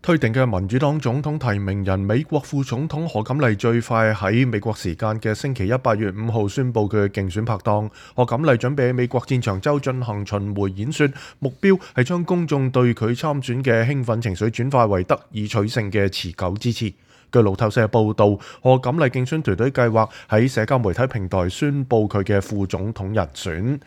推定嘅民主黨總統提名人美國副總統賀錦麗最快喺美國時間嘅星期一8月5號宣布佢嘅競選拍檔。賀錦麗準備喺美國戰場州進行巡迴演說，目標係將公眾對佢參選嘅興奮情緒轉化為得以取勝嘅持久支持。據路透社報導，賀錦麗競選團隊計劃喺社交媒體平台宣布佢嘅副總統人選。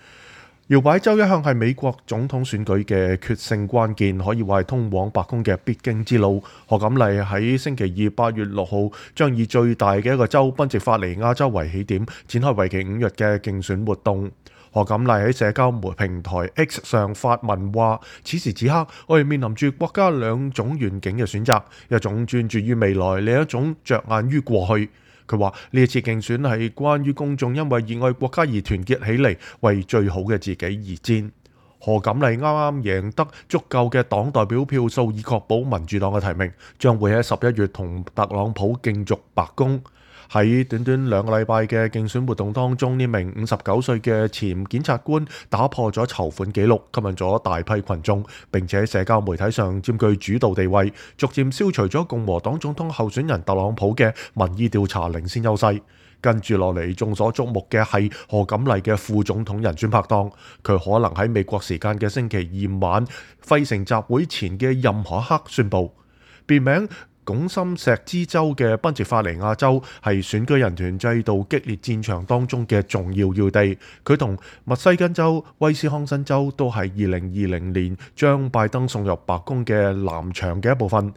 搖擺州一向係美國總統選舉嘅決勝關鍵，可以話係通往白宮嘅必經之路。賀錦麗喺星期二8月6號將以最大嘅一個州賓夕法尼亞州為起點，展開為期5日嘅競選活動。賀錦麗喺社交平台 X 上發文話：此時此刻，我哋面臨住國家兩種願景嘅選擇，一種專注於未來，另一種着眼於過去。佢話呢一次競選係關於公眾因為熱愛國家而團結起嚟，為最好嘅自己而戰。賀錦麗啱啱贏得足夠嘅黨代表票數，以確保民主黨嘅提名，將會喺11月同特朗普競逐白宮。喺短短2個禮拜嘅競選活動當中，呢名59歲嘅前檢察官打破咗籌款紀錄，吸引咗大批群眾，並且喺社交媒體上佔據主導地位，逐漸消除咗共和黨總統候選人特朗普嘅民意調查領先優勢。跟住落嚟，眾所矚目嘅係賀錦麗嘅副總統人選拍檔，佢可能喺美國時間嘅星期二晚費城集會前嘅任何一刻宣佈。別名拱心石之州嘅賓夕法尼亞州係選舉人團制度激烈戰場當中嘅重要要地，佢同密西根州、威斯康辛州都係2020年將拜登送入白宮嘅藍牆嘅一部分。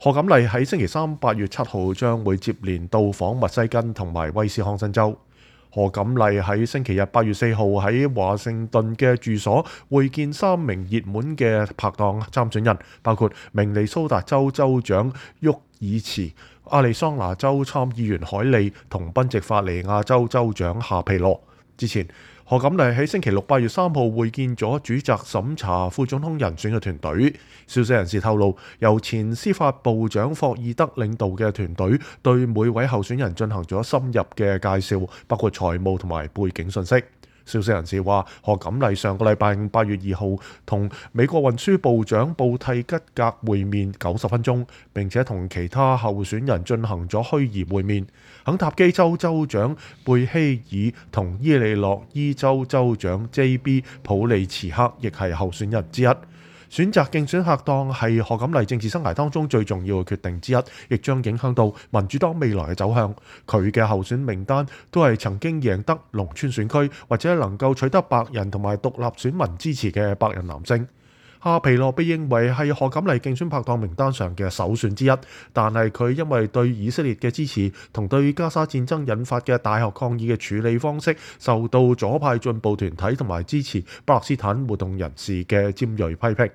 賀錦麗喺星期三8月7號將會接連到訪密西根同埋威斯康辛州。賀錦麗喺星期日8月4號喺華盛頓嘅住所會見3名熱門嘅拍檔參選人，包括明尼蘇達州州長沃爾茨、亞利桑那州參議員凱利同賓夕法尼亞州州長夏皮羅。之前，賀錦麗喺星期六8月3號會見咗主責審查副總統人選嘅團隊。消息人士透露，由前司法部長霍爾德領導嘅團隊對每位候選人進行咗深入嘅介紹，包括財務同埋背景信息。消息人士話，賀錦麗上個禮拜5 8月2號同美國運輸部長布蒂吉格會面90分鐘，並且同其他候選人進行咗虛擬會面。肯塔基州州長貝希爾同伊利諾伊州州長 J.B. 普利茨克亦係候選人之一。選擇競選拍檔係賀錦麗政治生涯當中最重要嘅決定之一，亦將影響到民主黨未來嘅走向。佢嘅候選名單都係曾經贏得農村選區或者能夠取得白人同埋獨立選民支持嘅白人男性。夏皮羅被認為係賀錦麗競選拍檔名單上嘅首選之一，但係佢因為對以色列嘅支持同對加沙戰爭引發嘅大學抗議嘅處理方式，受到左派進步團體同埋支持巴勒斯坦活動人士嘅尖銳批評。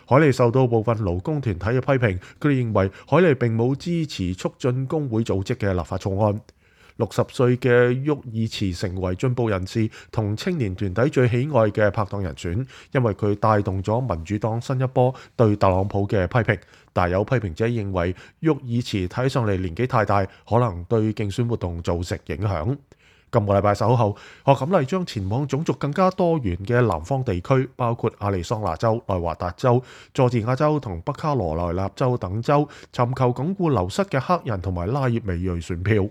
凱利受到部分勞工團體嘅批評，佢哋認為凱利並冇支持促進工會組織嘅立法草案。60歲嘅沃爾茨成為進步人士同青年團體最喜愛嘅拍檔人選，因為佢帶動咗民主黨新一波對特朗普嘅批評。但有批評者認為沃爾茨睇上嚟年紀太大，可能對競選活動造成影響。今個禮拜稍後，賀錦麗將前往種族更加多元嘅南方地區，包括亞利桑那州、內華達州、佐治亞州同北卡羅來納州等州，尋求鞏固流失嘅黑人同埋拉葉美裔選票。